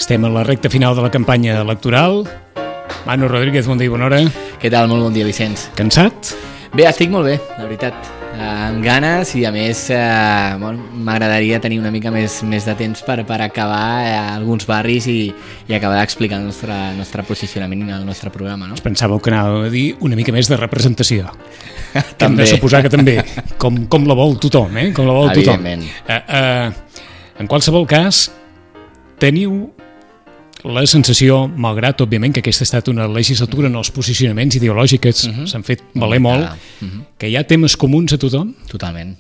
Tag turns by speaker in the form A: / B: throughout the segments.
A: Estem a la recta final de la campanya electoral. Manu Rodríguez, bon dia i bona hora.
B: Què tal? Molt bon dia, Vicenç.
A: Cansat?
B: Bé, estic molt bé, la veritat. Amb ganes i a més m'agradaria tenir una mica més de temps per acabar alguns barris i acabar d'explicar el nostre posicionament i el nostre programa, no?
A: Pensàveu que anàveu a dir una mica més de representació.
B: També.
A: Hem de suposar que també, com la vol tothom, com la vol tothom.
B: Evidentment.
A: En qualsevol cas, teniu la sensació, malgrat, òbviament, que aquesta ha estat una legislatura en els posicionaments ideològics s'han fet valer molt, que hi ha temes comuns a tothom?
B: Totalment.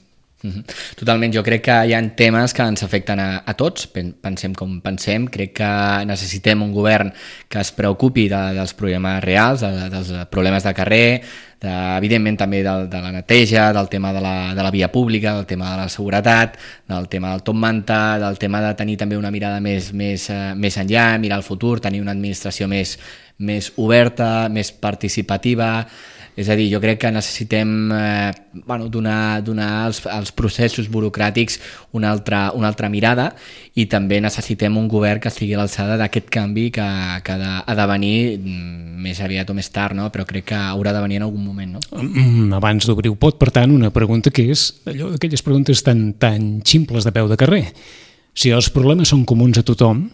B: Totalment, jo crec que hi ha temes que ens afecten a tots, pensem com pensem, crec que necessitem un govern que es preocupi dels problemes reals, dels problemes de carrer, evidentment també de la neteja, del tema de la via pública, del tema de la seguretat, del tema del top manta, del tema de tenir també una mirada més enllà, mirar el futur, tenir una administració més oberta, més participativa. És a dir, jo crec que necessitem donar als processos burocràtics una altra mirada i també necessitem un govern que estigui a l'alçada d'aquest canvi que ha de venir més aviat o més tard, no? Però crec que haurà de venir en algun moment, no?
A: Abans d'obrir el pot, per tant, una pregunta que és allò d'aquelles preguntes tan ximples de peu de carrer. Si els problemes són comuns a tothom,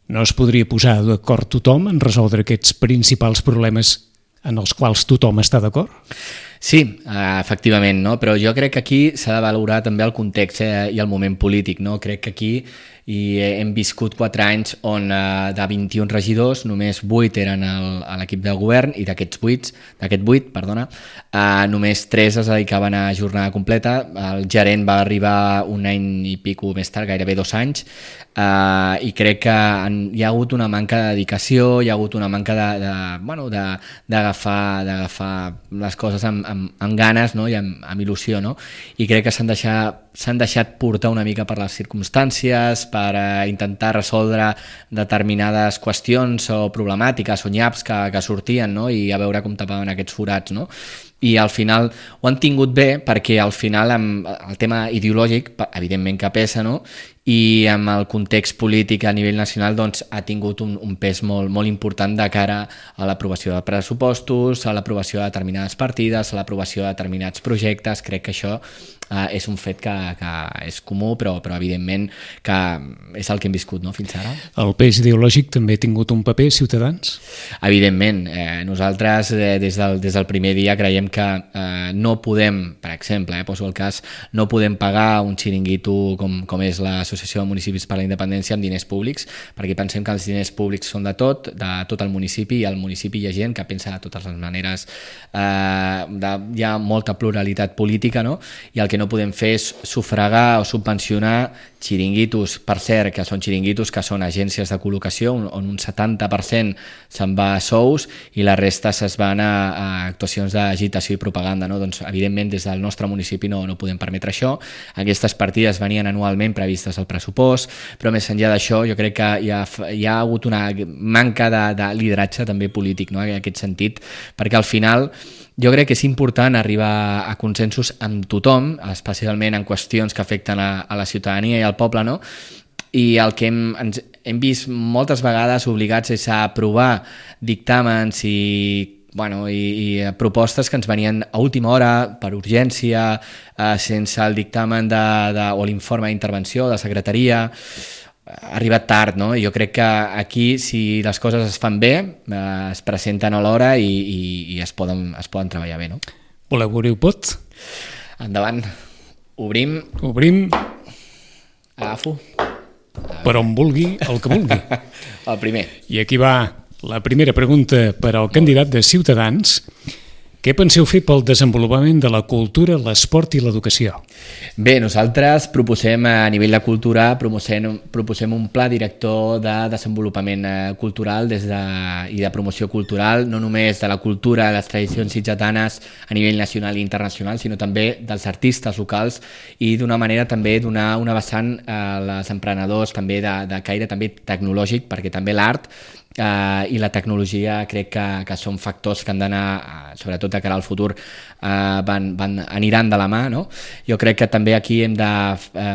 A: no es podria posar d'acord tothom en resoldre aquests principals problemes en els quals tothom està d'acord?
B: Sí, efectivament, no? Però jo crec que aquí s'ha de valorar també el context i el moment polític, no? Crec que aquí hem viscut 4 anys on de 21 regidors només 8 eren a l'equip de govern i d'aquest 8, només 3 es dedicaven a jornada completa. El gerent va arribar un any i pico més tard, gairebé 2 anys, i crec que hi ha hagut una manca de dedicació, hi ha hagut una manca d'agafar les coses amb ganes, no? I amb il·lusió, no? I crec que s'han deixat portar una mica per les circumstàncies, per intentar resoldre determinades qüestions o problemàtiques o nyaps que sortien, no? I a veure com tapaven aquests forats, no? I al final ho han tingut bé perquè al final el tema ideològic evidentment que pesa, no? I amb el context polític a nivell nacional doncs, ha tingut un pes molt important de cara a l'aprovació de pressupostos, a l'aprovació de determinades partides, a l'aprovació de determinats projectes. Crec que això és un fet que és comú, però evidentment que és el que hem viscut, no, fins ara.
A: El pes ideològic també ha tingut un paper, Ciutadans?
B: Evidentment. Nosaltres des del primer dia creiem que no podem, per exemple, poso el cas, no podem pagar un xiringuito com és l'Associació de Municipis per la Independència amb diners públics, perquè pensem que els diners públics són de tot el municipi, i al municipi hi ha gent que pensa de totes les maneres, hi ha molta pluralitat política, no? I el que no podem fer és sufragar o subvencionar xiringuitos, per cert, que són xiringuitos que són agències de col·locació, on un 70% se'n va a sous i la resta se'n van a actuacions d'agitació i propaganda, no? Doncs, evidentment, des del nostre municipi no podem permetre això. Aquestes partides venien anualment previstes al pressupost, però més enllà d'això jo crec que hi ha hagut una manca de lideratge també polític, no? En aquest sentit, perquè al final jo crec que és important arribar a consensos amb tothom, especialment en qüestions que afecten a la ciutadania i al poble, no? I el que hem vist moltes vegades obligats és a aprovar dictàmens i propostes que ens venien a última hora, per urgència, sense el dictamen o l'informe d'intervenció de la secretaria. Ha arribat tard, no? Jo crec que aquí, si les coses es fan bé, es presenten a l'hora i es poden treballar bé, no?
A: Voleu obrir el pot?
B: Endavant. Obrim. Agafo.
A: Per on vulgui, el que vulgui.
B: El primer.
A: I aquí va la primera pregunta per al candidat de Ciutadans, Què penseu fer pel desenvolupament de la cultura, l'esport i l'educació?
B: Bé, nosaltres proposem a nivell de cultura proposem un pla director de desenvolupament cultural i de promoció cultural, no només de la cultura, les tradicions sitgetanes a nivell nacional i internacional, sinó també dels artistes locals i d'una manera també donar una vessant als emprenedors també de caire també tecnològic, perquè també l'art i la tecnologia crec que són factors que han d'anar, sobretot de cara al futur, aniran de la mà, no? Jo crec que també aquí hem de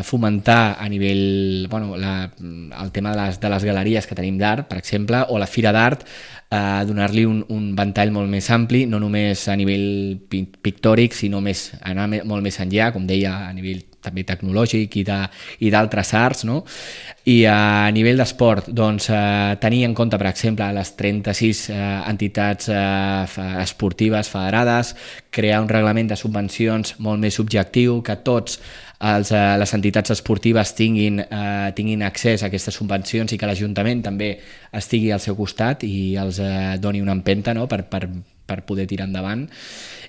B: fomentar a nivell, el tema de les galeries que tenim d'art, per exemple, o la fira d'art, donar-li un ventall molt més ampli, no només a nivell pictòric, sinó anar molt més enllà, com deia, a nivell també tecnològic i d'altres arts, no? I a nivell d'esport, doncs, tenir en compte, per exemple, les 36 entitats esportives federades, crear un reglament de subvencions molt més objectiu, que tots les entitats esportives tinguin accés a aquestes subvencions i que l'Ajuntament també estigui al seu costat i els doni una empenta, no? per poder tirar endavant.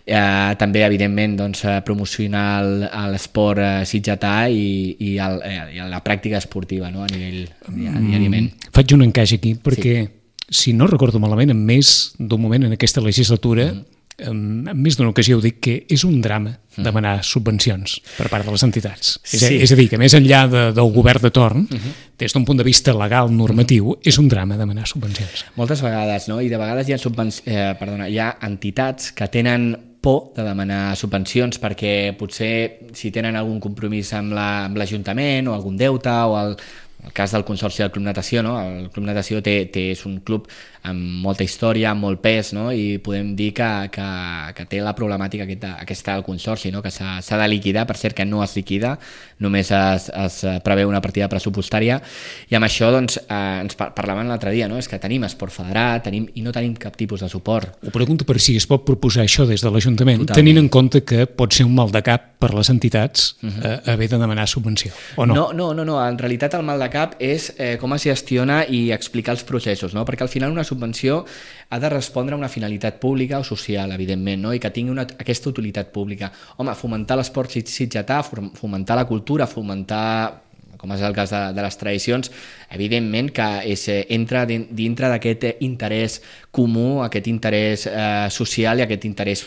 B: També, evidentment, doncs, promocionar l'esport sitgetà i la pràctica esportiva, no? A nivell diàriament.
A: Faig un encaix aquí, perquè si no recordo malament, en més d'un moment en aquesta legislatura, en més d'una ocasió ho dic, que és un drama demanar subvencions per part de les entitats. Sí. És a dir, que més enllà del govern de torn, des d'un punt de vista legal, normatiu, és un drama demanar subvencions.
B: Moltes vegades, no? I de vegades hi ha entitats que tenen por de demanar subvencions perquè potser si tenen algun compromís amb l'Ajuntament o algun deute o el cas del Consorci del Club Natació, no? El Club Natació és un club amb molta història, amb molt pes, no? I podem dir que té la problemàtica aquesta del Consorci, no? Que s'ha de liquidar, per cert que no es liquida, només es preveu una partida pressupostària, i amb això doncs, ens parlaven l'altre dia, no? És que tenim esport federat i no tenim cap tipus de suport.
A: Ho pregunto per si es pot proposar això des de l'Ajuntament, tenint en compte que pot ser un mal de cap per les entitats haver de demanar subvenció, o no?
B: No, en realitat el mal de cap és com es gestiona i explicar els processos, no? Perquè al final una subvenció ha de respondre a una finalitat pública o social, evidentment, no? I que tingui aquesta utilitat pública. Home, fomentar l'esport sitgetà, fomentar la cultura, fomentar, com és el cas de les tradicions, evidentment que entra dintre d'aquest interès comú, aquest interès social i aquest interès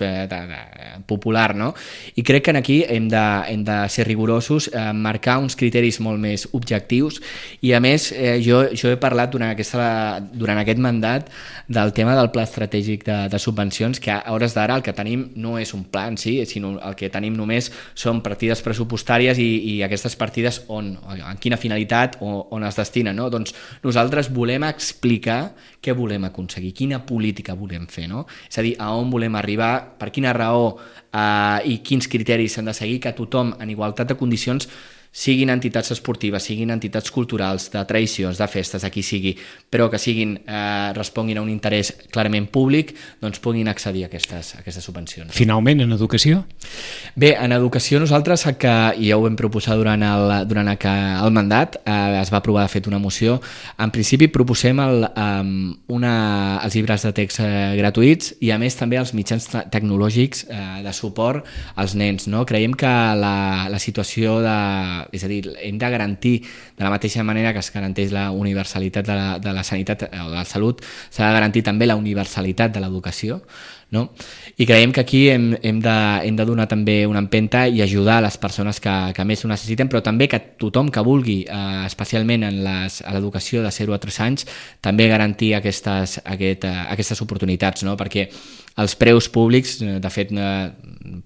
B: popular, no? I crec que aquí hem de ser rigorosos, marcar uns criteris molt més objectius i, a més, jo he parlat durant aquest mandat del tema del pla estratègic de subvencions, que a hores d'ara el que tenim no és un pla en si, sinó el que tenim només són partides pressupostàries i aquestes partides en quina finalitat o on es destinen, no? Doncs nosaltres volem explicar què volem aconseguir, quina política volem fer, no? És a dir, a on volem arribar, per quina raó i quins criteris s'han de seguir, que tothom en igualtat de condicions, siguin entitats esportives, siguin entitats culturals, de tradicions, de festes, a qui sigui, però que responguin a un interès clarament públic, doncs puguin accedir a aquestes subvencions.
A: Finalment, en educació?
B: Bé, en educació nosaltres, i ja ho vam proposar durant el mandat, es va aprovar de fet una moció, en principi proposem els llibres de text gratuïts i a més també els mitjans tecnològics de suport als nens, no? Creiem que la situació és a dir, hem de garantir de la mateixa manera que es garanteix la universalitat de la sanitat o de la salut, s'ha de garantir també la universalitat de l'educació, no? I creiem que aquí hem de donar també una empenta i ajudar les persones que més ho necessiten, però també que tothom que vulgui, especialment a l'educació de 0 a 3 anys, també garantir aquestes oportunitats, no? Perquè els preus públics, de fet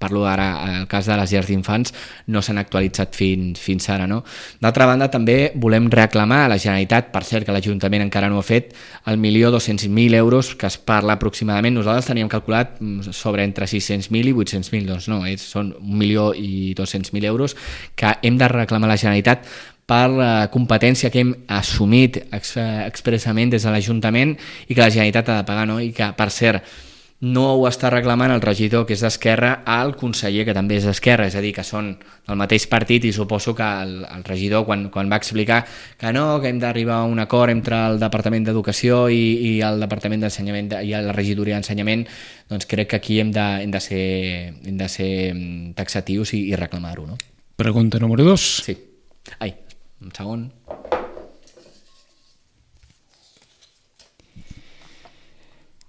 B: parlo ara al cas de les llars d'infants, no s'han actualitzat fins ara, no? D'altra banda, també volem reclamar a la Generalitat, per cert que l'Ajuntament encara no ho ha fet, el 1.200.000 euros que es parla aproximadament. Nosaltres teníem calculat sobre entre 600.000 i 800.000, doncs no, són 1.200.000 euros que hem de reclamar a la Generalitat per la competència que hem assumit expressament des de l'Ajuntament i que la Generalitat ha de pagar, no? I que, per cert, no ho està reclamant el regidor, que és d'Esquerra, al conseller, que també és d'Esquerra, és a dir, que són del mateix partit, i suposo que el regidor, quan va explicar que no, que hem d'arribar a un acord entre el Departament d'Educació i el Departament d'Ensenyament i la regidoria d'Ensenyament, doncs crec que aquí hem de ser taxatius i reclamar-ho, no?
A: Pregunta número 2.
B: Sí. Ai, un segon.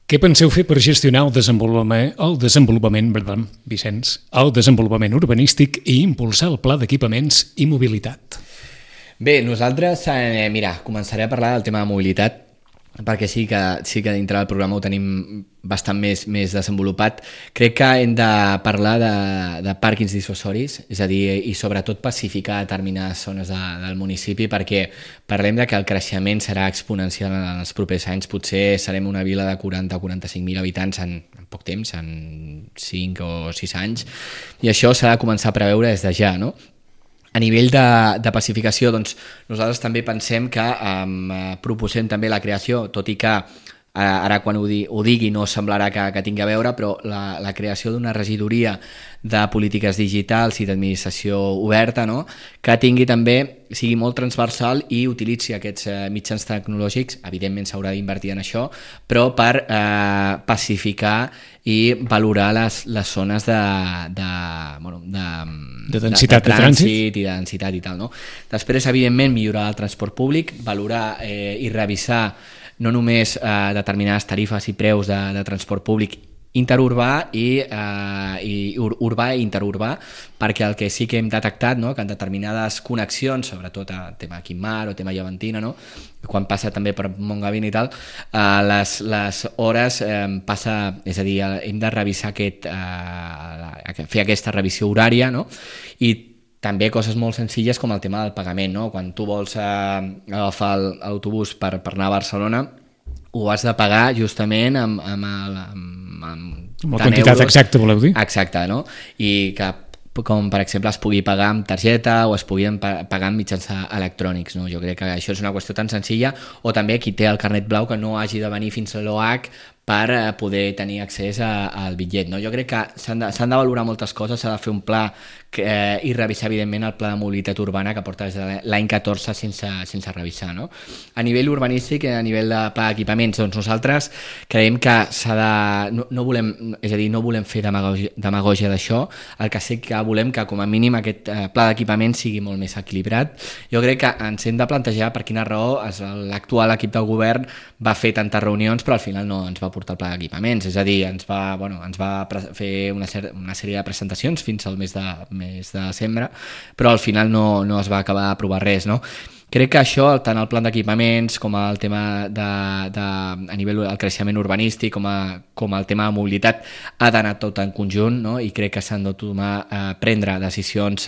A: Què penseu fer per gestionar el desenvolupament urbanístic i impulsar el pla d'equipaments i mobilitat?
B: Bé, nosaltres, començaré a parlar del tema de mobilitat, perquè sí que dintre del programa ho tenim bastant més desenvolupat. Crec que hem de parlar de pàrquings dissuasoris, és a dir, i sobretot pacificar determinades zones del municipi, perquè parlem de que el creixement serà exponencial en els propers anys. Potser serem una vila de 40 o 45.000 habitants en poc temps, en 5 o 6 anys, i això s'ha de començar a preveure des de ja, no? A nivell de pacificació, doncs, nosaltres també pensem que proposem també la creació, tot i que ara quan ho digui no semblarà que tingui a veure, però la creació d'una regidoria de polítiques digitals i d'administració oberta, no? Que sigui molt transversal i utilitzi aquests mitjans tecnològics. Evidentment s'haurà d'invertir en això, però per pacificar i valorar les zones de
A: densitat de trànsit
B: i de densitat i tal, no? Després, evidentment, millorar el transport públic, valorar i revisar no només determinades tarifes i preus de transport públic interurbà i urbà i interurbà, perquè el que sí que hem detectat, no?, que en determinades connexions, sobretot a tema Quimar o tema Llevantina, no?, quan passa també per Montgavin i tal, les hores passa, és a dir, hem de revisar fer aquesta revisió horària, no?, i també coses molt senzilles com el tema del pagament, no? Quan tu vols agafar l'autobús per anar a Barcelona, ho has de pagar justament amb
A: la quantitat exacta, voleu dir?
B: Exacte, no? I que, com per exemple, es pugui pagar amb targeta o es pugui pagar amb mitjans electrònics, no? Jo crec que això és una qüestió tan senzilla, o també qui té el carnet blau que no hagi de venir fins a l'OH per poder tenir accés al bitllet, no? Jo crec que s'han de valorar moltes coses, s'ha de fer un pla i revisar, evidentment, el pla de mobilitat urbana que porta des de l'any 14 sense revisar, no? A nivell urbanístic i a nivell de pla d'equipaments, doncs nosaltres creiem que no volem fer demagògia d'això, el que sí que volem que com a mínim aquest pla d'equipaments sigui molt més equilibrat. Jo crec que ens hem de plantejar per quina raó l'actual equip del govern va fer tantes reunions però al final no ens va portar el pla d'equipaments, és a dir, ens va fer una sèrie de presentacions fins al mes de desembre, però al final no es va acabar d'aprovar res, no? Crec que això, tant el pla d'equipaments com el tema a nivell del creixement urbanístic com el tema de mobilitat ha d'anar tot en conjunt, no? I crec que s'han de prendre decisions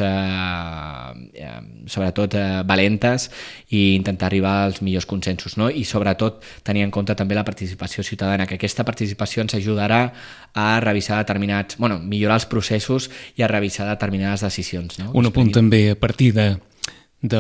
B: sobretot valentes i intentar arribar als millors consensos, no? I sobretot tenir en compte també la participació ciutadana, que aquesta participació ens ajudarà a revisar millorar els processos i a revisar determinades decisions, no?
A: Un apunt també, a partir de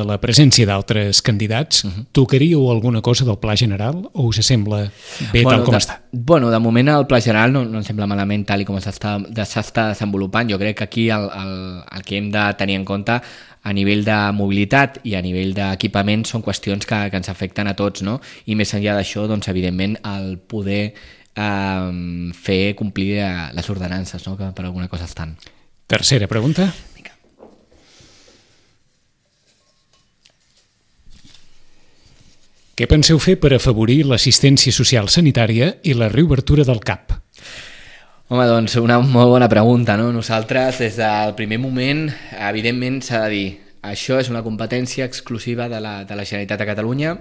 A: la presència d'altres candidats, tocaríeu alguna cosa del Pla General o us sembla bé tal com està?
B: De moment el Pla General no em sembla malament tal com s'està desenvolupant. Jo crec que aquí el que hem de tenir en compte a nivell de mobilitat i a nivell d'equipament són qüestions que ens afecten a tots, no? I més enllà d'això, doncs, evidentment, el poder fer complir les ordenances, no?, que per alguna cosa estan.
A: Tercera pregunta. Què penseu fer per afavorir l'assistència social sanitària i la reobertura del CAP?
B: Home, doncs una molt bona pregunta, no? Nosaltres, des del primer moment, evidentment s'ha de dir, això és una competència exclusiva de la Generalitat de Catalunya.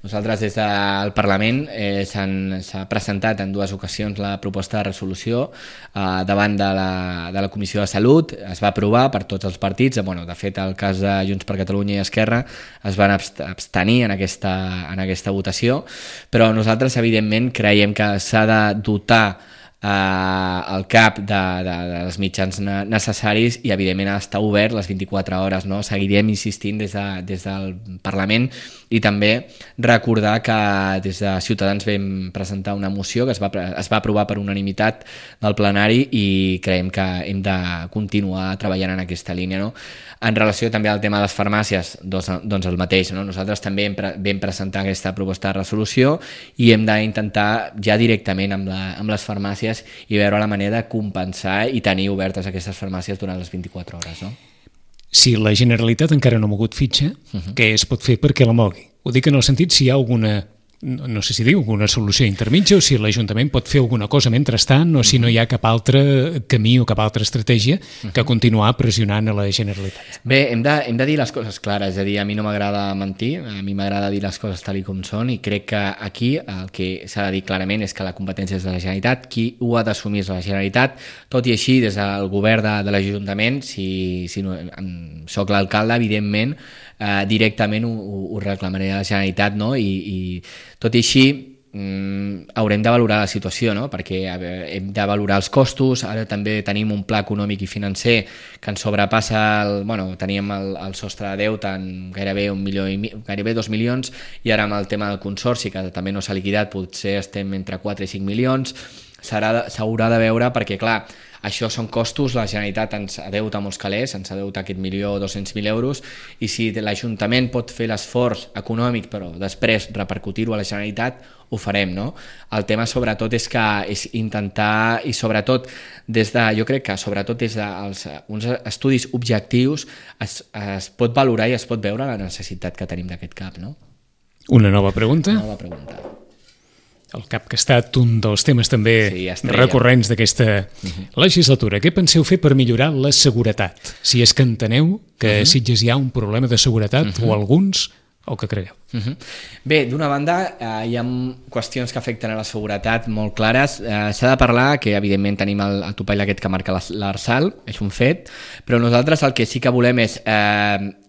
B: Nosaltres des del Parlament s'ha presentat en 2 ocasions la proposta de resolució davant de la Comissió de Salut, es va aprovar per tots els partits, de fet el cas de Junts per Catalunya i Esquerra es van abstenir en aquesta votació, però nosaltres evidentment creiem que s'ha de dotar el CAP dels mitjans necessaris i evidentment està obert les 24 hores, no? Seguirem insistint des del Parlament i també recordar que des de Ciutadans vam presentar una moció que es va aprovar per unanimitat del plenari i creiem que hem de continuar treballant en aquesta línia, no? En relació també al tema de les farmàcies, doncs el mateix, no? Nosaltres també vam presentar aquesta proposta de resolució i hem d'intentar ja directament amb les farmàcies i veure la manera de compensar i tenir obertes aquestes farmàcies durant les 24 hores, no?
A: Si la Generalitat encara no ha mogut fitxa, què es pot fer perquè la mogui? Ho dic en el sentit si hi ha alguna, no sé si diu, alguna solució intermitja o si l'Ajuntament pot fer alguna cosa mentrestant o si no hi ha cap altre camí o cap altra estratègia que continuar pressionant a la Generalitat.
B: Bé, hem de dir les coses clares, és a dir, a mi no m'agrada mentir, a mi m'agrada dir les coses tal com són i crec que aquí el que s'ha de dir clarament és que la competència és de la Generalitat, qui ho ha d'assumir és la Generalitat, tot i així des del govern de l'Ajuntament, si no, soc l'alcalde, evidentment, directament ho reclamaré a la Generalitat, no? I tot i així haurem de valorar la situació, no? Perquè hem de valorar els costos, ara també tenim un pla econòmic i financer que ens sobrepassa, teníem el sostre de deute en gairebé 1 milió gairebé 2 milions i ara amb el tema del consorci que també no s'ha liquidat potser estem entre 4 i 5 milions, s'haurà de veure perquè clar, això són costos, la Generalitat ens adeuta molts calés, ens adeuta aquest 1.200.000 euros i si l'Ajuntament pot fer l'esforç econòmic però després repercutir-ho a la Generalitat, ho farem, no? El tema sobretot és intentar i sobretot jo crec que sobretot des d'uns estudis objectius es pot valorar i es pot veure la necessitat que tenim d'aquest CAP, no?
A: Una nova pregunta?
B: Una nova pregunta.
A: El CAP que ha estat un dels temes també recurrents d'aquesta legislatura. Què penseu fer per millorar la seguretat? Si és que enteneu que a Sitges hi ha un problema de seguretat o alguns, o que creieu?
B: Bé, d'una banda hi ha qüestions que afecten a la seguretat molt clares. S'ha de parlar que evidentment tenim el topall aquest que marca l'Arsal, és un fet, però nosaltres el que sí que volem és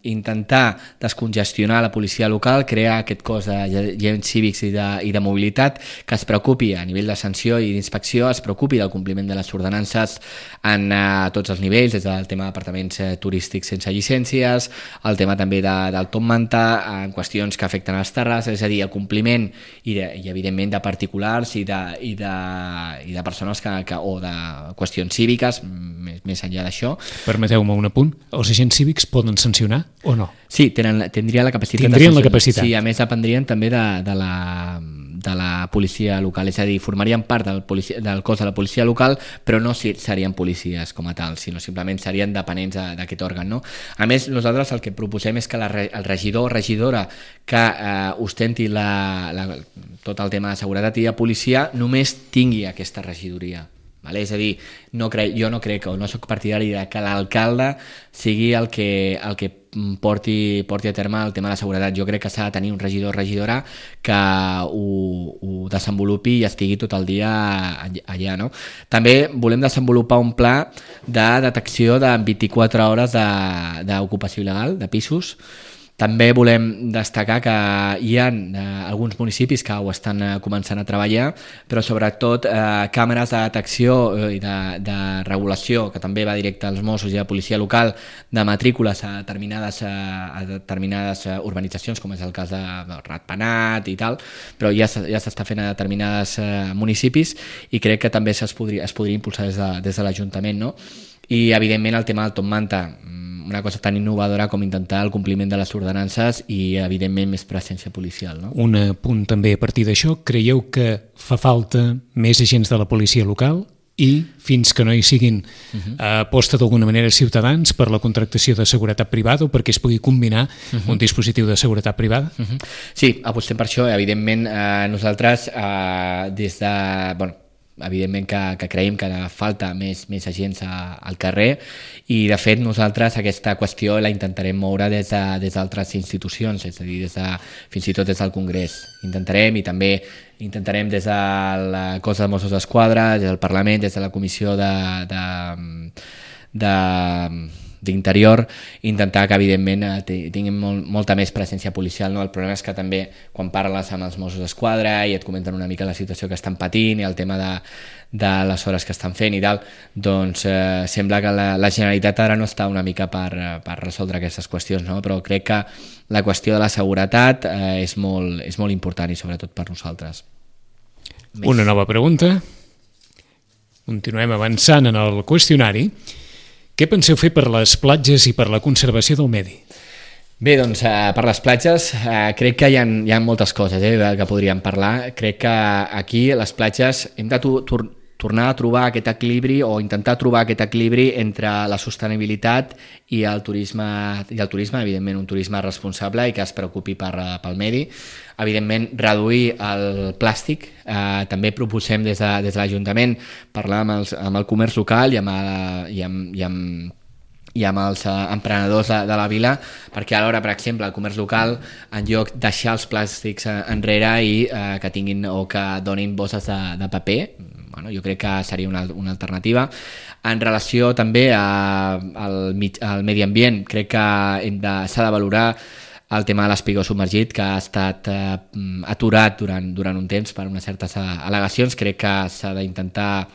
B: intentar descongestionar la policia local, crear aquest cos d'agents cívics i de mobilitat que es preocupi a nivell de sanció i d'inspecció, es preocupi del compliment de les ordenances en tots els nivells, des del tema d'apartaments turístics sense llicències, el tema també del top manta, en qüestions que afecten a les terrasses, és a dir, el compliment i evidentment de particulars i de persones o de qüestions cíviques, més enllà d'això.
A: Permeteu-me un apunt, els agents cívics poden sancionar o no?
B: Sí, tindrien la capacitat
A: de sancionar.
B: Sí, a més dependrien també de la policia local, és a dir, formarien part del cos de la policia local, però no serien policies com a tal, sinó simplement serien dependents d'aquest òrgan, no? A més, nosaltres el que proposem és que el regidor o regidora que ostenti tot el tema de seguretat i de policia només tingui aquesta regidoria. Vale? És a dir, jo no crec o no soc partidari de que l'alcalde sigui el que porti a terme el tema de la seguretat. Jo crec que s'ha de tenir un regidor o regidora que ho desenvolupi i estigui tot el dia allà, no? També volem desenvolupar un pla de detecció de 24 hores d'ocupació il·legal de pisos. També volem destacar que hi ha alguns municipis que ho estan començant a treballar, però sobretot càmeres de detecció i de regulació, que també va directe als Mossos i a la policia local, de matrícules a determinades urbanitzacions, com és el cas de Ratpenat i tal, però ja s'està fent a determinades municipis i crec que també es podria impulsar des de l'Ajuntament, no? I evidentment el tema del top manta, una cosa tan innovadora com intentar el compliment de les ordenances i evidentment més presència policial, no?
A: Un punt també a partir d'això, creieu que fa falta més agents de la policia local i fins que no hi siguin aposta d'alguna manera ciutadans per la contractació de seguretat privada o perquè es pugui combinar un dispositiu de seguretat privada?
B: Sí, apostem per això. Evidentment nosaltres evidentment que creiem que falta més agents al carrer i de fet nosaltres aquesta qüestió la intentarem moure des d'altres institucions, és a dir, fins i tot des del Congrés. Intentarem i també intentarem des del cos de Mossos d'Esquadra, des del Parlament, des de la Comissió d'interior, intentar que evidentment tinguin molta més presència policial, no? El problema és que també quan parles amb els Mossos d'Esquadra i et comenten una mica la situació que estan patint i el tema de les hores que estan fent i tal, doncs sembla que la Generalitat ara no està una mica per resoldre aquestes qüestions, no? Però crec que la qüestió de la seguretat és molt important i sobretot per nosaltres.
A: Una nova pregunta. Continuem avançant en el qüestionari. Què penseu fer per les platges i per la conservació del medi?
B: Bé, doncs per les platges crec que hi ha moltes coses que podríem parlar. Crec que aquí les platges hem de tornar a trobar aquest equilibri o intentar trobar aquest equilibri entre la sostenibilitat i el turisme, evidentment un turisme responsable i que es preocupi pel medi. Evidentment, reduir el plàstic. També proposem des de l'Ajuntament parlar amb el comerç local i amb els emprenedors de la vila, perquè alhora, per exemple, el comerç local, en lloc de deixar els plàstics enrere i que tinguin o que donin bosses de paper, bueno, jo crec que seria una alternativa. En relació també al medi ambient, crec que s'ha de valorar el tema de l'espigó submergit, que ha estat aturat durant un temps per unes certes al·legacions. Crec que s'ha d'intentar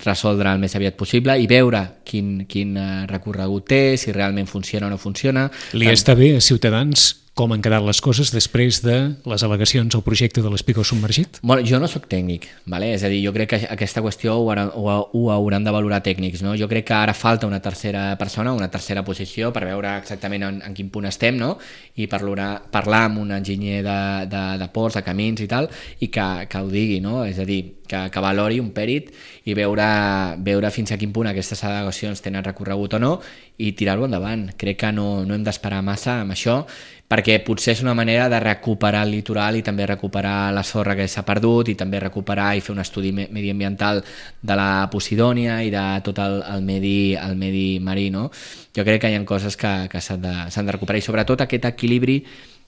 B: resoldre el més aviat possible i veure quin recorregut té, si realment funciona o no funciona.
A: Li està bé a Ciutadans com han quedat les coses després de les al·legacions al projecte de l'espigó submergit?
B: Bueno, jo no sóc tècnic, ¿vale? És a dir, jo crec que aquesta qüestió ho hauran de valorar tècnics, no? Jo crec que ara falta una tercera persona, una tercera posició per veure exactament en quin punt estem, no? I parlar amb un enginyer de ports, de camins i tal, i que ho digui, no? És a dir, que valori un pèrit i veure fins a quin punt aquestes al·legacions tenen recorregut o no i tirar-ho endavant. Crec que no hem d'esperar massa amb això, perquè potser és una manera de recuperar el litoral i també recuperar la sorra que s'ha perdut i també recuperar i fer un estudi mediambiental de la Posidònia i de tot el medi marí, no? Jo crec que hi ha coses que s'han de recuperar i sobretot aquest equilibri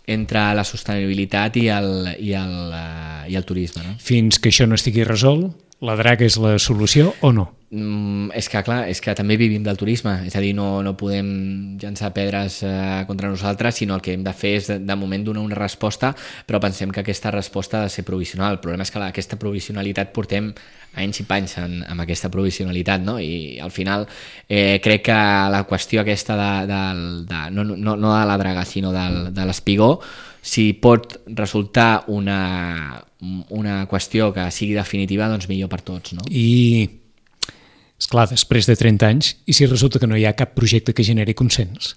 B: entre la sostenibilitat i el turisme, no?
A: Fins que això no estigui resolt, la draga és la solució o no?
B: És que clar, és que també vivim del turisme, és a dir, no podem llançar pedres contra nosaltres, sinó el que hem de fer és de moment donar una resposta, però pensem que aquesta resposta ha de ser provisional. El problema és que aquesta provisionalitat portem anys i panys amb aquesta provisionalitat, no? I al final crec que la qüestió aquesta no de la draga, sinó de l'espigó, si pot resultar una qüestió que sigui definitiva, doncs millor per tots, no?
A: I, esclar, després de 30 anys, i si resulta que no hi ha cap projecte que generi consens?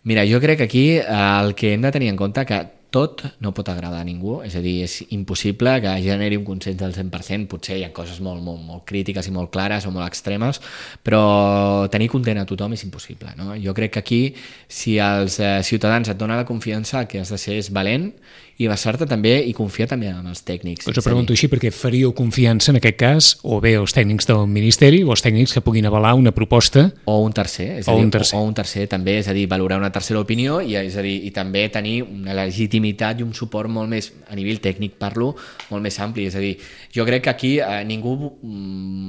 B: Mira, jo crec que aquí el que hem de tenir en compte que tot no pot agradar a ningú, és a dir, és impossible que generi un consens del 100%, potser hi ha coses molt crítiques i molt clares o molt extremes, però tenir content a tothom és impossible, no? Jo crec que aquí, si els ciutadans et donen la confiança, el que has de ser és valent i basar-te també i confiar també en els tècnics.
A: Us ho pregunto així perquè faríeu confiança en aquest cas o bé els tècnics del Ministeri o els tècnics que puguin avalar una proposta
B: o un tercer, o un tercer també, és a dir, valorar una tercera opinió i també tenir una legitimitat i un suport molt més, a nivell tècnic parlo, molt més ampli, és a dir, jo crec que aquí ningú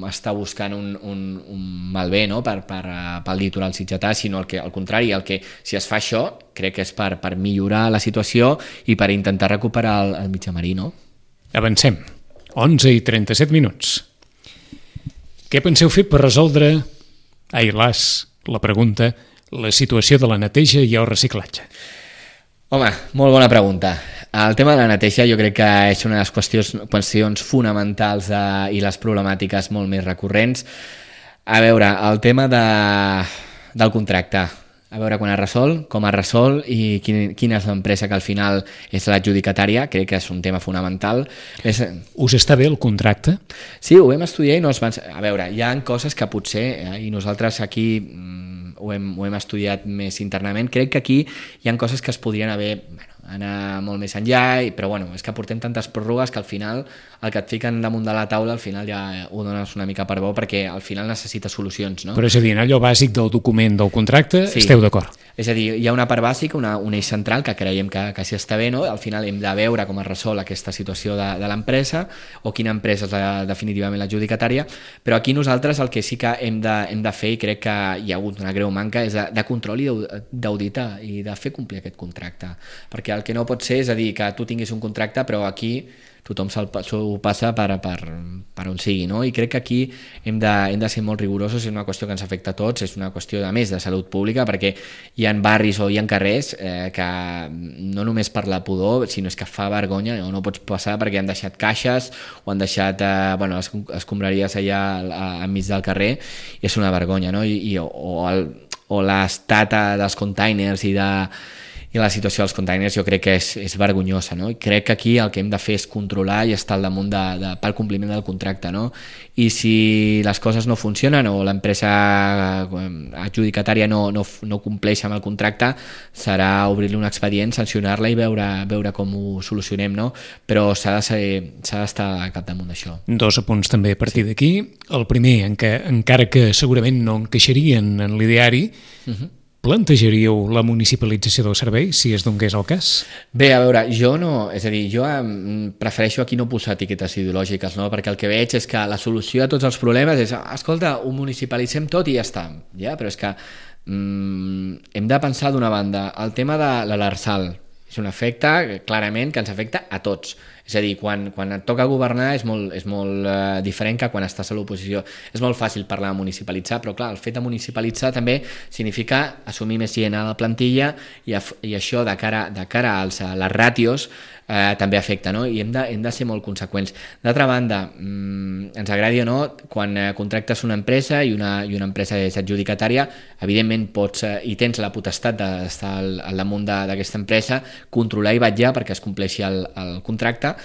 B: està buscant un malbé, no? pel litoral sitgetà, sinó al contrari, si es fa això crec que és per millorar la situació i per intentar recuperar el mitjà marí, no?
A: Avancem. 11:37. Què penseu fer per resoldre, la pregunta, la situació de la neteja i el reciclatge?
B: Home, molt bona pregunta. El tema de la neteja jo crec que és una de les qüestions fonamentals i les problemàtiques molt més recurrents. A veure, el tema del contracte. A veure quan es resol, com es resol i quina és l'empresa que al final és l'adjudicatària, crec que és un tema fonamental.
A: Us està bé el contracte?
B: Sí, ho vam estudiar i no es van... A veure, hi ha coses que potser, i nosaltres aquí ho hem estudiat més internament, crec que aquí hi ha coses que es podrien haver... anar molt més enllà, però bueno, és que portem tantes pròrrogues que al final el que et fiquen damunt de la taula al final ja ho dones una mica per bo perquè al final necessita solucions, no?
A: Però és a dir, en allò bàsic del document del contracte,
B: sí,
A: esteu d'acord?
B: És a dir, hi ha una part bàsica, un eix central que creiem que sí està bé, no? Al final hem de veure com es resol aquesta situació de l'empresa o quina empresa és definitivament l'adjudicatària, però aquí nosaltres el que sí que hem de fer, i crec que hi ha hagut una greu manca, és de control i d'auditar i de fer complir aquest contracte, perquè el que no pot ser és a dir que tu tinguis un contracte però aquí tothom s'ho passa per on sigui, no? I crec que aquí hem de ser molt rigorosos, és una qüestió que ens afecta a tots, és una qüestió a més de salut pública, perquè hi ha barris o hi ha carrers que no només per la pudor, sinó és que fa vergonya, no pots passar perquè han deixat caixes o han deixat les escombraries allà enmig del carrer, i és una vergonya, no? O l'estat dels containers i la situació dels containers jo crec que és vergonyosa, no? I crec que aquí el que hem de fer és controlar i estar al damunt pel compliment del contracte, no? I si les coses no funcionen o l'empresa adjudicatària no compleix amb el contracte, serà obrir-li un expedient, sancionar-la i veure com ho solucionem, no? Però s'ha d'estar al capdamunt d'això.
A: 2 apunts també a partir d'aquí. El primer, encara que segurament no encaixarien en l'ideari, plantejaríeu la municipalització del servei, si es donés el cas?
B: Bé, a veure, jo prefereixo aquí no posar etiquetes ideològiques, no? Perquè el que veig és que la solució a tots els problemes és, escolta, ho municipalitzem tot i ja està, però és que hem de pensar d'una banda, el tema de l'Arsal és un efecte clarament que ens afecta a tots. És a dir, quan et toca governar és molt diferent que quan estàs a l'oposició. És molt fàcil parlar de municipalitzar, però clar, el fet de municipalitzar també significa assumir més gent a la plantilla i això de cara a les ràtios també afecta, no? I hem de ser molt conseqüents. D'altra banda, ens agradi o no, quan contractes una empresa i una empresa és adjudicatària, evidentment pots i tens la potestat d'estar al damunt d'aquesta empresa, controlar i vetllar perquè es compleixi el contracte,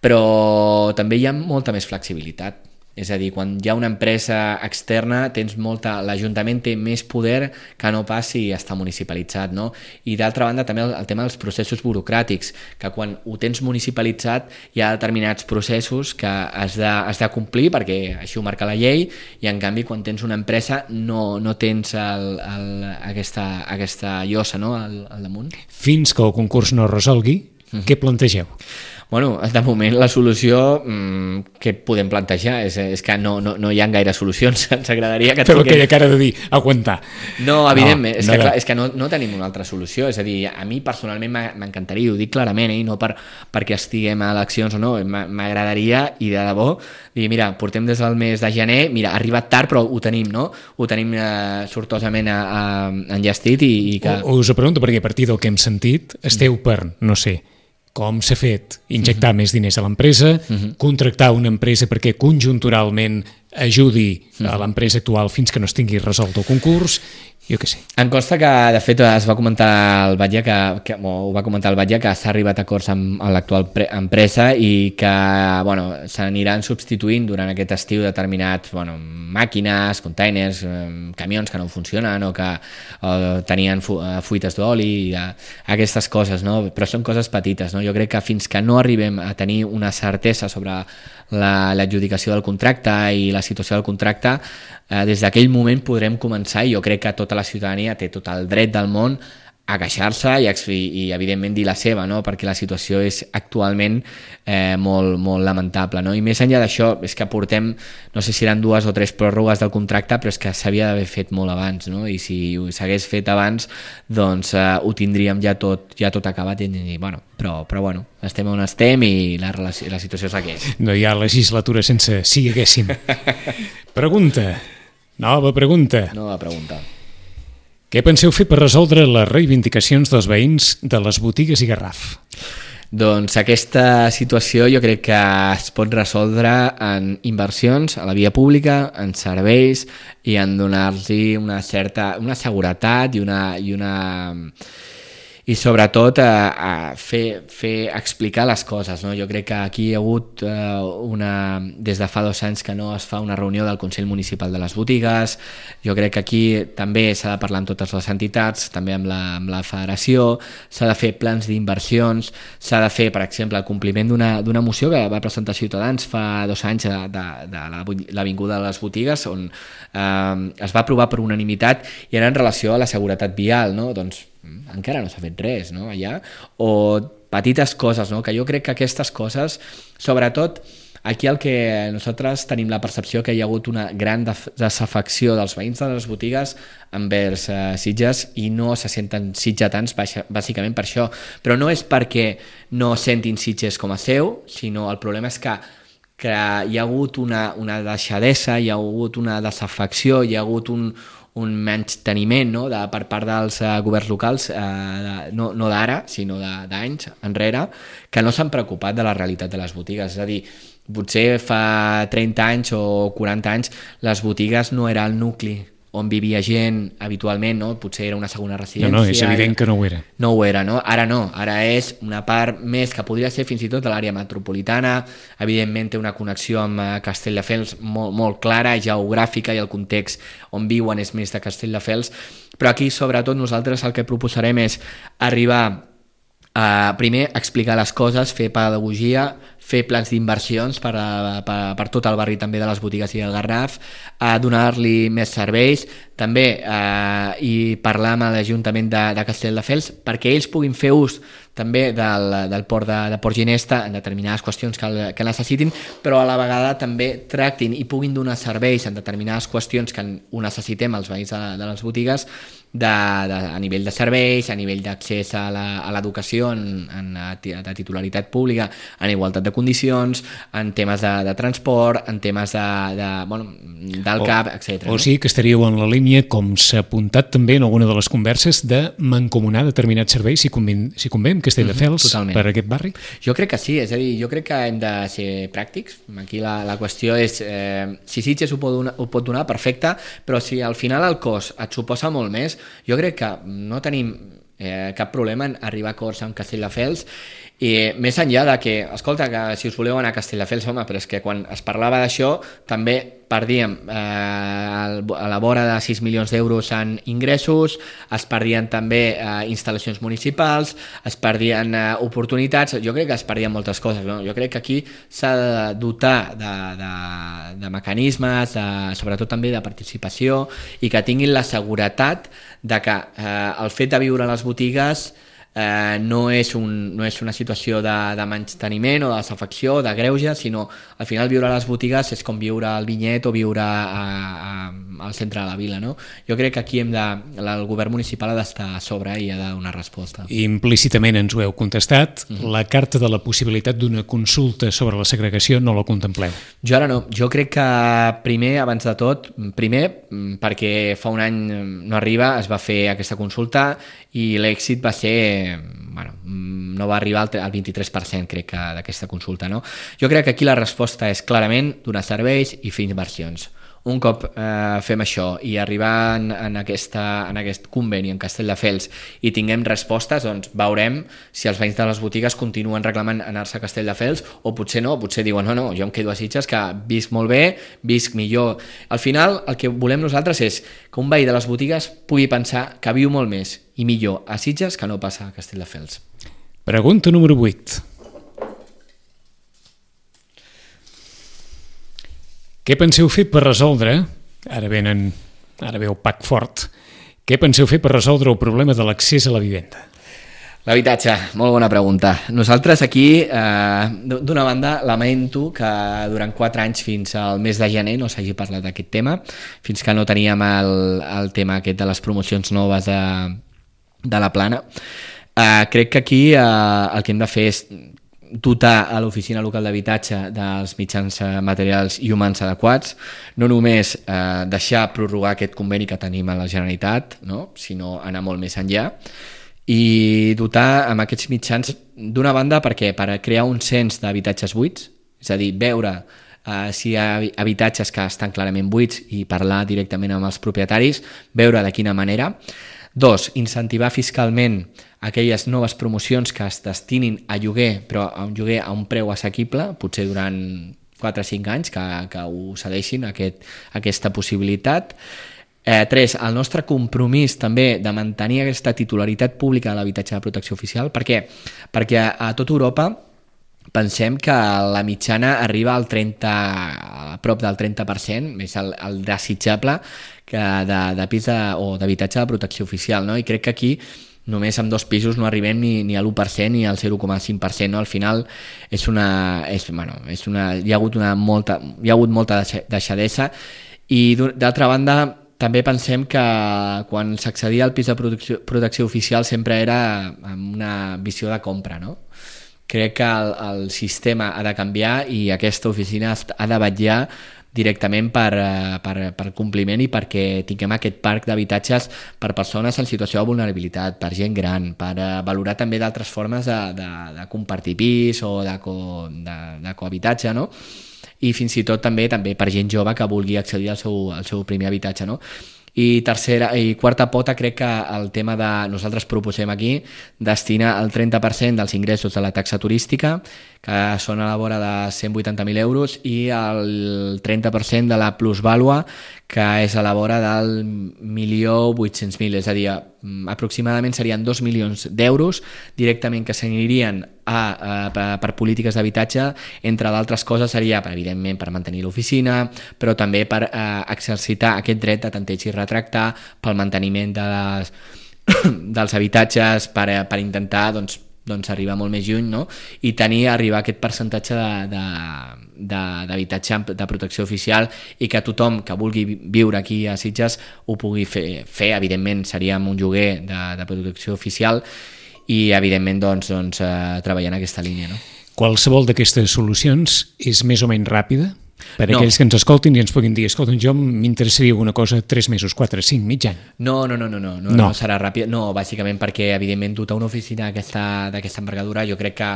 B: però també hi ha molta més flexibilitat. És a dir, quan hi ha una empresa externa, l'Ajuntament té més poder que no pas si està municipalitzat, no? I d'altra banda també el tema dels processos burocràtics, que quan ho tens municipalitzat hi ha determinats processos que has de complir perquè així ho marca la llei, i en canvi quan tens una empresa no tens aquesta llosa, no? al damunt.
A: Fins que el concurs no resolgui, què plantegeu?
B: Bueno, de moment la solució que podem plantejar és que no hi ha gaire solucions. Ens agradaria que...
A: Però aquella cara de dir, aguantar.
B: No, evidentment, és que no tenim una altra solució. És a dir, a mi personalment m'encantaria, ho dic clarament, i no perquè estiguem a eleccions o no, m'agradaria, i de debò, dir, mira, portem des del mes de gener, mira, ha arribat tard però ho tenim, no? Ho tenim sortosament enllestit i que...
A: Us ho pregunto perquè a partir del que hem sentit esteu per, no sé, com s'ha fet, injectar més diners a l'empresa, contractar una empresa perquè conjunturalment ajudi a l'empresa actual fins que no es tingui resolt el concurs, jo què sé.
B: Em consta que, de fet, es va comentar al Batlle que s'ha arribat a acords amb l'actual empresa i que s'aniran substituint durant aquest estiu determinats màquines, containers, camions que no funcionen o que tenien fuites d'oli, aquestes coses, no? Però són coses petites, no? Jo crec que fins que no arribem a tenir una certesa sobre l'adjudicació del contracte i la situació del contracte, des d'aquell moment podrem començar, i jo crec que tota la ciutadania té tot el dret del món a queixar-se i evidentment dir la seva, no? Perquè la situació és actualment molt, molt lamentable, no? I més enllà d'això, és que portem, no sé si eren 2 o 3 pròrrogues del contracte, però és que s'havia d'haver fet molt abans, no? I si s'hagués fet abans, doncs ho tindríem ja tot acabat, però estem on estem i la situació és la que és.
A: No hi ha legislatura sense si haguéssim. Nova pregunta. Què penseu fer per resoldre les reivindicacions dels veïns de les botigues i Garraf?
B: Doncs aquesta situació jo crec que es pot resoldre en inversions a la via pública, en serveis i en donar-los una seguretat i i sobretot fer explicar les coses, no? Jo crec que aquí hi ha hagut des de fa 2 anys que no es fa una reunió del Consell Municipal de les Botigues. Jo crec que aquí també s'ha de parlar amb totes les entitats, també amb la federació, s'ha de fer plans d'inversions, s'ha de fer, per exemple, el compliment d'una moció que va presentar Ciutadans fa 2 anys de l'Avinguda de les Botigues, on es va aprovar per unanimitat i era en relació a la seguretat vial, no? Doncs encara no s'ha fet res, no? Allà, o petites coses, no? Que jo crec que aquestes coses, sobretot aquí el que nosaltres tenim la percepció que hi ha hagut una gran desafecció dels veïns de les botigues envers Sitges i no se senten sitgetans bàsicament per això, però no és perquè no sentin Sitges com a seu, sinó el problema és que hi ha hagut una deixadesa, hi ha hagut una desafecció, hi ha hagut un menysteniment, no? Per part dels governs locals, no d'ara, sinó d'anys enrere, que no s'han preocupat de la realitat de les botigues. És a dir, potser fa 30 anys o 40 anys les botigues no era el nucli on vivia gent habitualment, no? Potser era una segona residència.
A: No, és evident que no ho era.
B: No ho era, no? Ara és una part més que podria ser fins i tot de l'àrea metropolitana. Evidentment té una connexió amb Castelldefels molt clara, geogràfica, i el context on viuen és més de Castelldefels, però aquí sobretot nosaltres el que proposarem és arribar a primer explicar les coses, fer pedagogia, fer plans d'inversions per tot el barri també de les botigues i del Garraf, donar-li més serveis, també i parlar amb l'Ajuntament de Castelldefels perquè ells puguin fer ús també del port de Port Ginesta en determinades qüestions que necessitin, però a la vegada també tractin i puguin donar serveis en determinades qüestions que ho necessitem els veïns de les botigues a nivell de serveis, a nivell d'accés a l'educació de titularitat pública, en igualtat de condicions, en temes de transport, en temes del CAP, etc.
A: O sigui que estaríeu en la línia, com s'ha apuntat també en alguna de les converses, de mancomunar determinats serveis si convé amb Castelldefels per aquest barri?
B: Jo crec que sí, és a dir, jo crec que hem de ser pràctics. Aquí la qüestió és si Sitges ho pot donar, perfecte, però si al final el cost et suposa molt més, jo crec que no tenim cap problema en arribar a acords amb Castelldefels, i més enllà de que, escolta, que si us voleu anar a Castelldefels, home, però és que quan es parlava d'això també perdíem a la vora de 6 milions d'euros en ingressos, es perdien també instal·lacions municipals, es perdien oportunitats, jo crec que es perdien moltes coses, no? Jo crec que aquí s'ha de dotar de mecanismes, sobretot també de participació, i que tinguin la seguretat de que el fet de viure a les botigues no és una situació de menysteniment o de desafecció, de greuge, sinó al final viure a les botigues és com viure al Vinyet o viure al centre de la vila, no? Jo crec que aquí el govern municipal ha d'estar a sobre i ha de donar resposta.
A: Implícitament ens ho heu contestat, la carta de la possibilitat d'una consulta sobre la segregació no la contempleu?
B: Jo ara no, jo crec que abans de tot, perquè fa un any no arriba, es va fer aquesta consulta i l'èxit va ser, no va arribar al 23%, crec que, d'aquesta consulta, no? Jo crec que aquí la resposta és clarament donar serveis i fer inversions. Un cop fem això i arribar en aquest conveni en Castelldefels i tinguem respostes, doncs veurem si els veïns de les botigues continuen reclamant anar-se a Castelldefels o potser no, potser diuen no, jo em quedo a Sitges, que visc molt bé, visc millor. Al final el que volem nosaltres és que un veí de les botigues pugui pensar que viu molt més i millor a Sitges que no passa a Castelldefels.
A: Pregunta número 8. Què penseu fer per resoldre, ara veu Pac Fort, què penseu fer per resoldre el problema de l'accés a la vivenda?
B: L'habitatge, molt bona pregunta. Nosaltres aquí, d'una banda, lamento que durant 4 anys fins al mes de gener no s'hagi parlat d'aquest tema, fins que no teníem el tema aquest de les promocions noves de la plana. Crec que aquí el que hem de fer és dotar a l'oficina local d'habitatge dels mitjans materials i humans adequats, no només deixar prorrogar aquest conveni que tenim a la Generalitat, no? Sinó anar molt més enllà i dotar amb aquests mitjans, d'una banda per crear un cens d'habitatges buits, és a dir, veure si hi ha habitatges que estan clarament buits i parlar directament amb els propietaris, veure de quina manera. 2, incentivar fiscalment aquelles noves promocions que es destinin a lloguer, però a un lloguer a un preu assequible, potser durant 4 o 5 anys, que ho cedeixin aquesta possibilitat. 3, el nostre compromís també de mantenir aquesta titularitat pública de l'habitatge de protecció oficial. Per què? Perquè a tota Europa pensem que la mitjana arriba al 30, a prop del 30%, més el desitjable de pis o d'habitatge de protecció oficial, no? I crec que aquí només amb 2 pisos no arribem ni a l'1% ni al 0,5%, no? Al final hi ha hagut molta deixadesa i d'altra banda també pensem que quan s'accedia al pis de protecció oficial sempre era amb una visió de compra, no? Crec que el sistema ha de canviar i aquesta oficina ha de vetllar directament per compliment i perquè tinguem aquest parc d'habitatges per persones en situació de vulnerabilitat, per gent gran, per valorar també d'altres formes de compartir pis o de cohabitatge, no? I fins i tot també per gent jove que vulgui accedir al seu primer habitatge, no? I quarta pota, crec que el tema nosaltres proposem aquí destinar el 30% dels ingressos de la taxa turística, que són a la vora de 180.000 euros, i el 30% de la plusvàlua, que és a la vora del 1.800.000, és a dir, aproximadament serien 2 milions d'euros directament que s'anirien per polítiques d'habitatge. Entre d'altres coses seria, evidentment, per mantenir l'oficina, però també per exercitar aquest dret de tanteig i retractar, pel manteniment dels habitatges, per intentar arribar molt més lluny, no? I arribar a aquest percentatge d'habitatge de protecció oficial i que tothom que vulgui viure aquí a Sitges ho pugui fer. Evidentment seria amb un lloguer de protecció oficial i evidentment treballar en aquesta línia, no?
A: Qualsevol d'aquestes solucions és més o menys ràpida? Per aquells que ens escoltin i ens puguin dir, escolta, jo m'interessaria una cosa 3 mesos, 4, 5, mig any.
B: No serà ràpid. No, bàsicament perquè, evidentment, dotar una oficina d'aquesta envergadura, jo crec que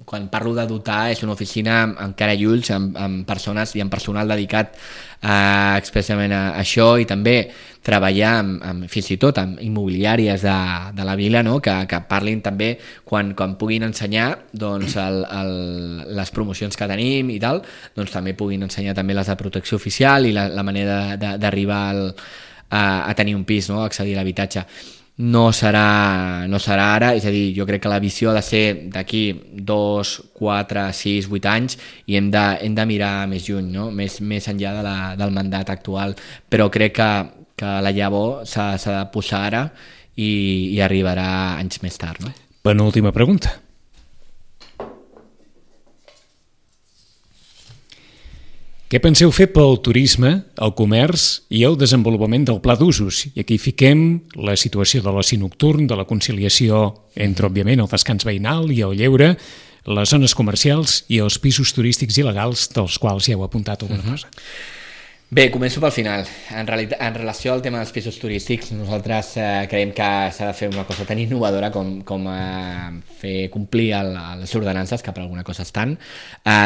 B: quan parlo de dotar és una oficina amb cara i ulls, amb persones i amb personal dedicat expressament a això, i també treballar fins i tot amb immobiliàries de la vila, no? que parlin també quan puguin ensenyar les promocions que tenim i tal, també puguin ensenyar també les de protecció oficial i la manera d'arribar a tenir un pis, no? Accedir a l'habitatge. No serà ara, és a dir, jo crec que la visió ha de ser d'aquí 2, 4, 6, 8 anys i hem de mirar més lluny, no? més enllà del mandat actual, però crec que la llavor s'ha de posar ara i arribarà anys més tard, no?
A: Penúltima pregunta. Què penseu fer pel turisme, el comerç i el desenvolupament del pla d'usos? I aquí fiquem la situació de l'oci nocturn, de la conciliació entre, òbviament, el descans veïnal i el lleure, les zones comercials i els pisos turístics il·legals, dels quals ja heu apuntat alguna cosa.
B: Bé, començo pel final. En relació al tema dels pisos turístics, nosaltres creiem que s'ha de fer una cosa tan innovadora com fer complir les ordenances, que per alguna cosa estan,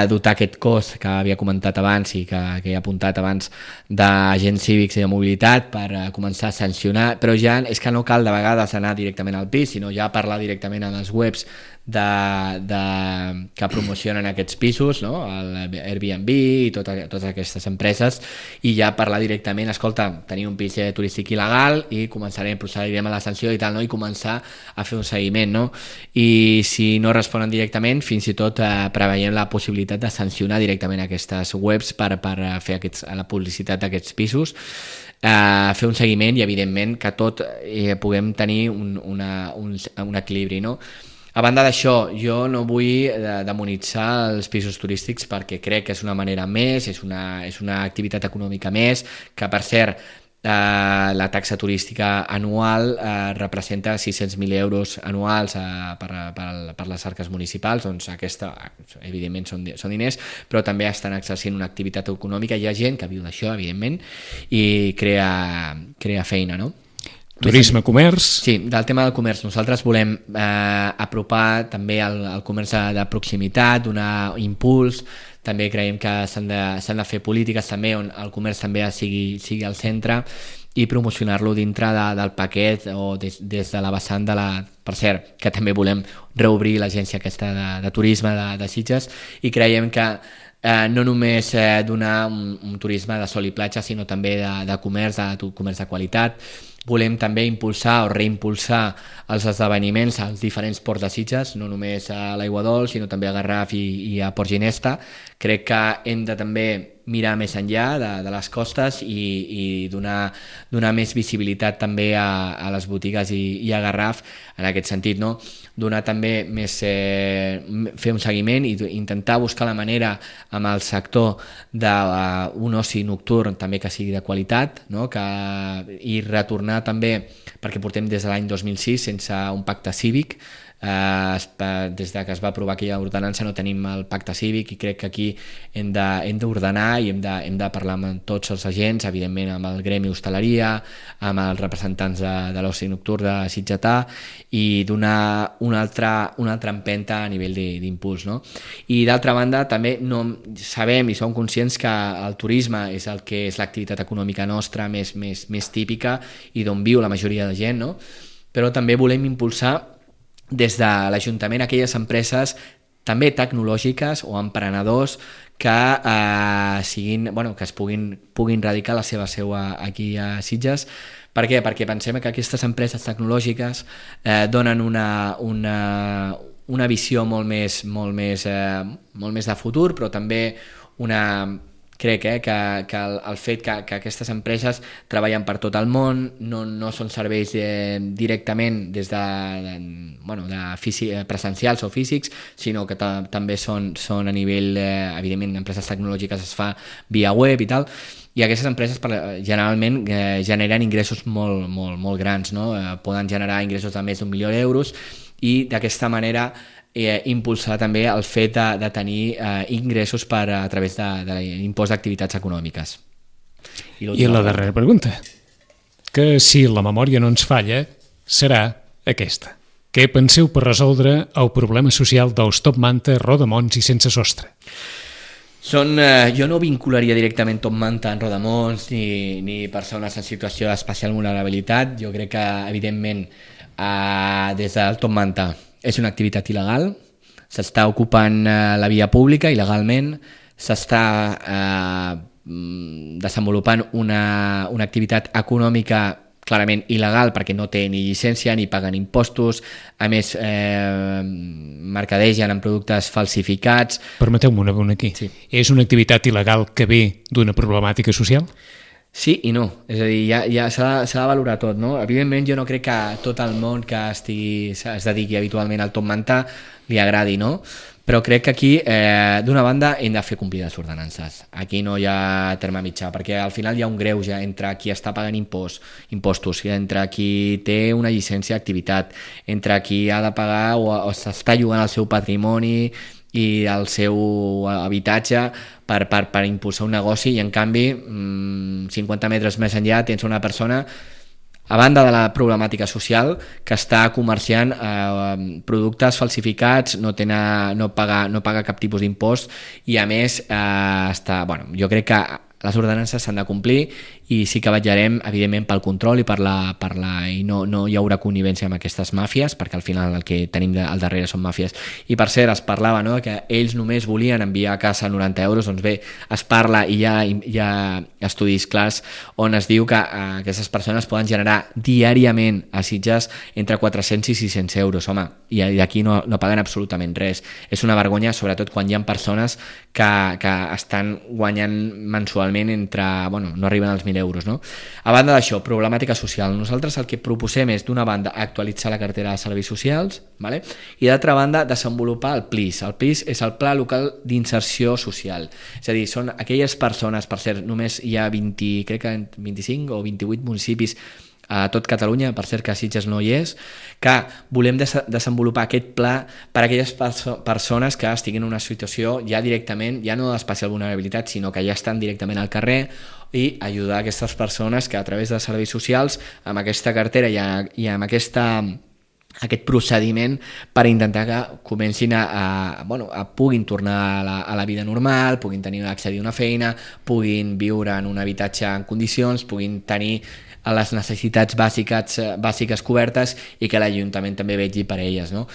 B: dotar aquest cos que havia comentat abans i que he apuntat abans d'agents cívics i de mobilitat per començar a sancionar, però ja és que no cal de vegades anar directament al pis, sinó ja parlar directament a les webs que promocionen aquests pisos, no? Airbnb i totes aquestes empreses, i ja parlar directament, escolta, tenir un pis turístic il·legal i procedirem a la sanció i tal, no? I començar a fer un seguiment, no? I si no responen directament, fins i tot preveiem la possibilitat de sancionar directament aquestes webs per fer la publicitat d'aquests pisos, fer un seguiment i evidentment que tot puguem tenir un equilibri, no? A banda d'això, jo no vull demonitzar els pisos turístics perquè crec que és una manera més, és una activitat econòmica més, que per cert la taxa turística anual representa 600.000 euros anuals per les arques municipals, doncs aquesta evidentment són diners, però també estan exercint una activitat econòmica, hi ha gent que viu d'això evidentment i crea feina, no?
A: Turisme, comerç...
B: Sí, del tema del comerç. Nosaltres volem apropar també el comerç de proximitat, donar impuls. També creiem que s'han de fer polítiques també on el comerç també sigui al centre i promocionar-lo dintre del paquet o des de la vessant de la... Per cert, que també volem reobrir l'agència aquesta de turisme de Sitges, i creiem que no només donar un turisme de sol i platja, sinó també de comerç de qualitat. Volem també impulsar o reimpulsar els esdeveniments als diferents ports de Sitges, no només a l'Aiguadols, sinó també a Garraf i a Port Ginesta. Crec que hem de també mirar més enllà de les costes i donar més visibilitat també a les botigues i a Garraf en aquest sentit, no? Donar també més, fer un seguiment i intentar buscar la manera amb el sector d'un oci nocturn també que sigui de qualitat, no? I retornar també, perquè portem des de l'any 2006 sense un pacte cívic. Des que es va aprovar aquella ordenança no tenim el pacte cívic, i crec que aquí hem d'ordenar i hem de parlar amb tots els agents, evidentment amb el gremi hostaleria, amb els representants de l'oci nocturn de Sitgetà, i donar una altra empenta a nivell d'impuls, no? I d'altra banda també sabem i som conscients que el turisme és el que és l'activitat econòmica nostra més típica i d'on viu la majoria de gent, no? Però també volem impulsar des de l'Ajuntament aquelles empreses també tecnològiques o emprenedors que es puguin radicar la seva seu aquí a Sitges. Per què? Perquè pensem que aquestes empreses tecnològiques donen una visió molt més de futur, però també crec que el fet que aquestes empreses treballen per tot el món, no són serveis directament des de presencials o físics, sinó que també són a nivell, evidentment, empreses tecnològiques es fa via web i tal, i aquestes empreses generalment generen ingressos molt grans, no? Poden generar ingressos de més d'1 milió d'euros, i d'aquesta manera impulsar també el fet de tenir ingressos a través de l'impost d'activitats econòmiques.
A: I la darrera pregunta, que si la memòria no ens falla, serà aquesta. Què penseu per resoldre el problema social dels Top Manta, Rodamons i Sense Sostre?
B: Jo no vincularia directament Top Manta en Rodamons ni persones en situació d'especial vulnerabilitat. Jo crec que, evidentment, des del Top Manta és una activitat il·legal, s'està ocupant la via pública il·legalment, s'està desenvolupant una activitat econòmica clarament il·legal perquè no té ni llicència ni paguen impostos, a més mercadegen amb productes falsificats.
A: Permeteu-me una bona aquí. Sí. És una activitat il·legal que ve d'una problemàtica social?
B: Sí i no, és a dir, ja s'ha de valorar tot, no? Evidentment jo no crec que tot el món que es dediqui habitualment al Top Manta li agradi, no? Però crec que aquí, d'una banda, hem de fer complir les ordenances. Aquí no hi ha terme mitjà, perquè al final hi ha un greuge entre qui està pagant impostos, entre qui té una llicència d'activitat, entre qui ha de pagar o s'està llogant el seu patrimoni i el seu habitatge per impulsar un negoci, i en canvi 50 metres més enllà tens una persona, a banda de la problemàtica social, que està comerciant productes falsificats, no paga cap tipus d'impost, i a més jo crec que les ordenances s'han de complir, i sí que vetllarem evidentment pel control i no hi haurà connivència amb aquestes màfies, perquè al final el que tenim al darrere són màfies. I per cert, es parlava, no?, que ells només volien enviar a casa 90 euros, doncs bé, es parla i hi ha estudis clars on es diu que aquestes persones poden generar diàriament a Sitges entre 400 i 600 euros, home, i d'aquí no paguen absolutament res. És una vergonya, sobretot quan hi ha persones que estan guanyant mensualment no arriben als 1.000 euros, no? A banda d'això, problemàtica social. Nosaltres el que proposem és, d'una banda, actualitzar la cartera de serveis socials, ¿vale? I d'altra banda, desenvolupar el PLIS. El PLIS és el Pla Local d'Inserció Social. És a dir, són aquelles persones, per cert, només hi ha 25 o 28 municipis a tot Catalunya, per cert que a Sitges no hi és, que volem desenvolupar aquest pla per a aquelles persones que estiguin en una situació ja directament, ja no d'especial vulnerabilitat, sinó que ja estan directament al carrer, i ajudar aquestes persones que a través de serveis socials, amb aquesta cartera i amb aquest procediment, per intentar que comencin puguin tornar a la vida normal, puguin accedir a una feina, puguin viure en un habitatge en condicions, puguin tenir les necessitats bàsiques cobertes i que l'Ajuntament també vetlli per elles, no?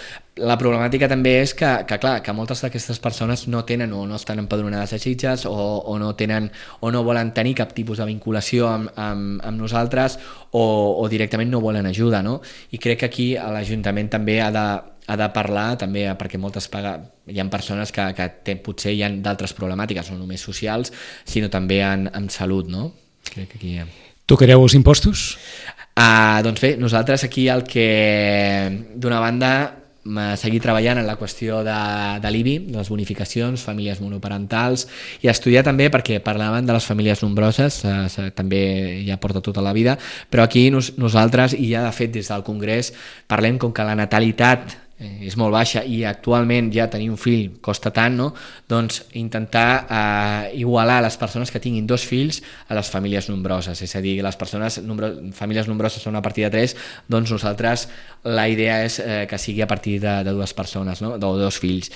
B: La problemàtica també és que moltes d'aquestes persones no tenen o no estan empadronades a Sitges o no volen tenir cap tipus de vinculació amb nosaltres o directament no volen ajuda, no? I crec que aquí l'Ajuntament també ha de parlar també, perquè hi ha persones que potser hi ha d'altres problemàtiques, no només socials, sinó també en salut, no? Crec que aquí hi ha...
A: Tocareu els impostos?
B: Doncs bé, nosaltres aquí el que, d'una banda, seguir treballant en la qüestió de l'IBI, de les bonificacions, famílies monoparentals, i estudiar també, perquè parlaven de les famílies nombroses, també ja porta tota la vida, però aquí nosaltres, i ja de fet des del Congrés, parlem com que la natalitat és molt baixa i actualment ja tenir un fill costa tant, no? Doncs intentar igualar les persones que tinguin 2 fills a les famílies nombroses, és a dir, les famílies nombroses són a partir de 3, doncs nosaltres la idea és que sigui a partir de 2 persones, no? De 2 fills.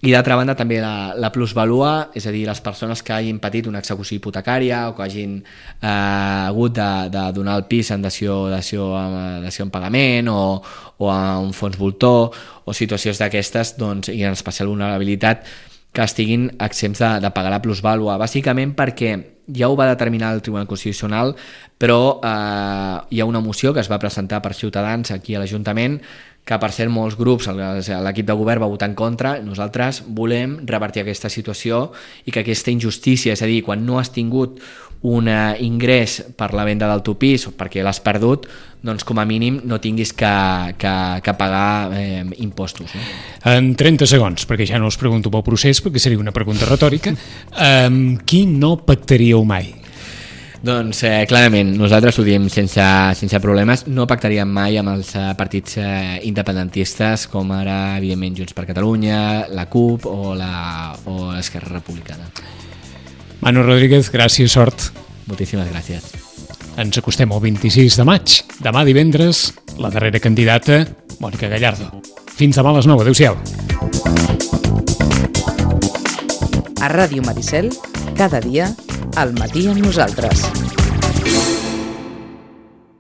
B: I d'altra banda també la plusvalua, és a dir, les persones que hagin patit una execució hipotecària o que hagin hagut de donar el pis en dació en pagament o a un fons voltor o situacions d'aquestes, doncs, i en especial vulnerabilitat, que estiguin exempts de pagar la plusvàlua, bàsicament perquè ja ho va determinar el Tribunal Constitucional, però hi ha una moció que es va presentar per Ciutadans aquí a l'Ajuntament, que per cert molts grups, l'equip de govern va votar en contra. Nosaltres volem revertir aquesta situació i que aquesta injustícia, és a dir, quan no has tingut un ingrés per la venda del teu pis o perquè l'has perdut, doncs com a mínim no tinguis que pagar impostos, no?
A: En 30 segons, perquè ja no us pregunto pel procés, perquè seria una pregunta retòrica, qui no pactaríeu mai?
B: Doncs clarament, nosaltres ho diem sense problemes, no pactaríem mai amb els partits independentistes com ara, evidentment, Junts per Catalunya, la CUP o l'Esquerra Republicana.
A: Manu Rodríguez, gràcies, sort.
B: Moltíssimes gràcies.
A: Ens acostem al 26 de maig. Demà divendres, la darrera candidata, Mònica Gallardo. Fins demà a les 9. Adéu-siau.
C: A Ràdio Maricel, cada dia, al matí amb nosaltres.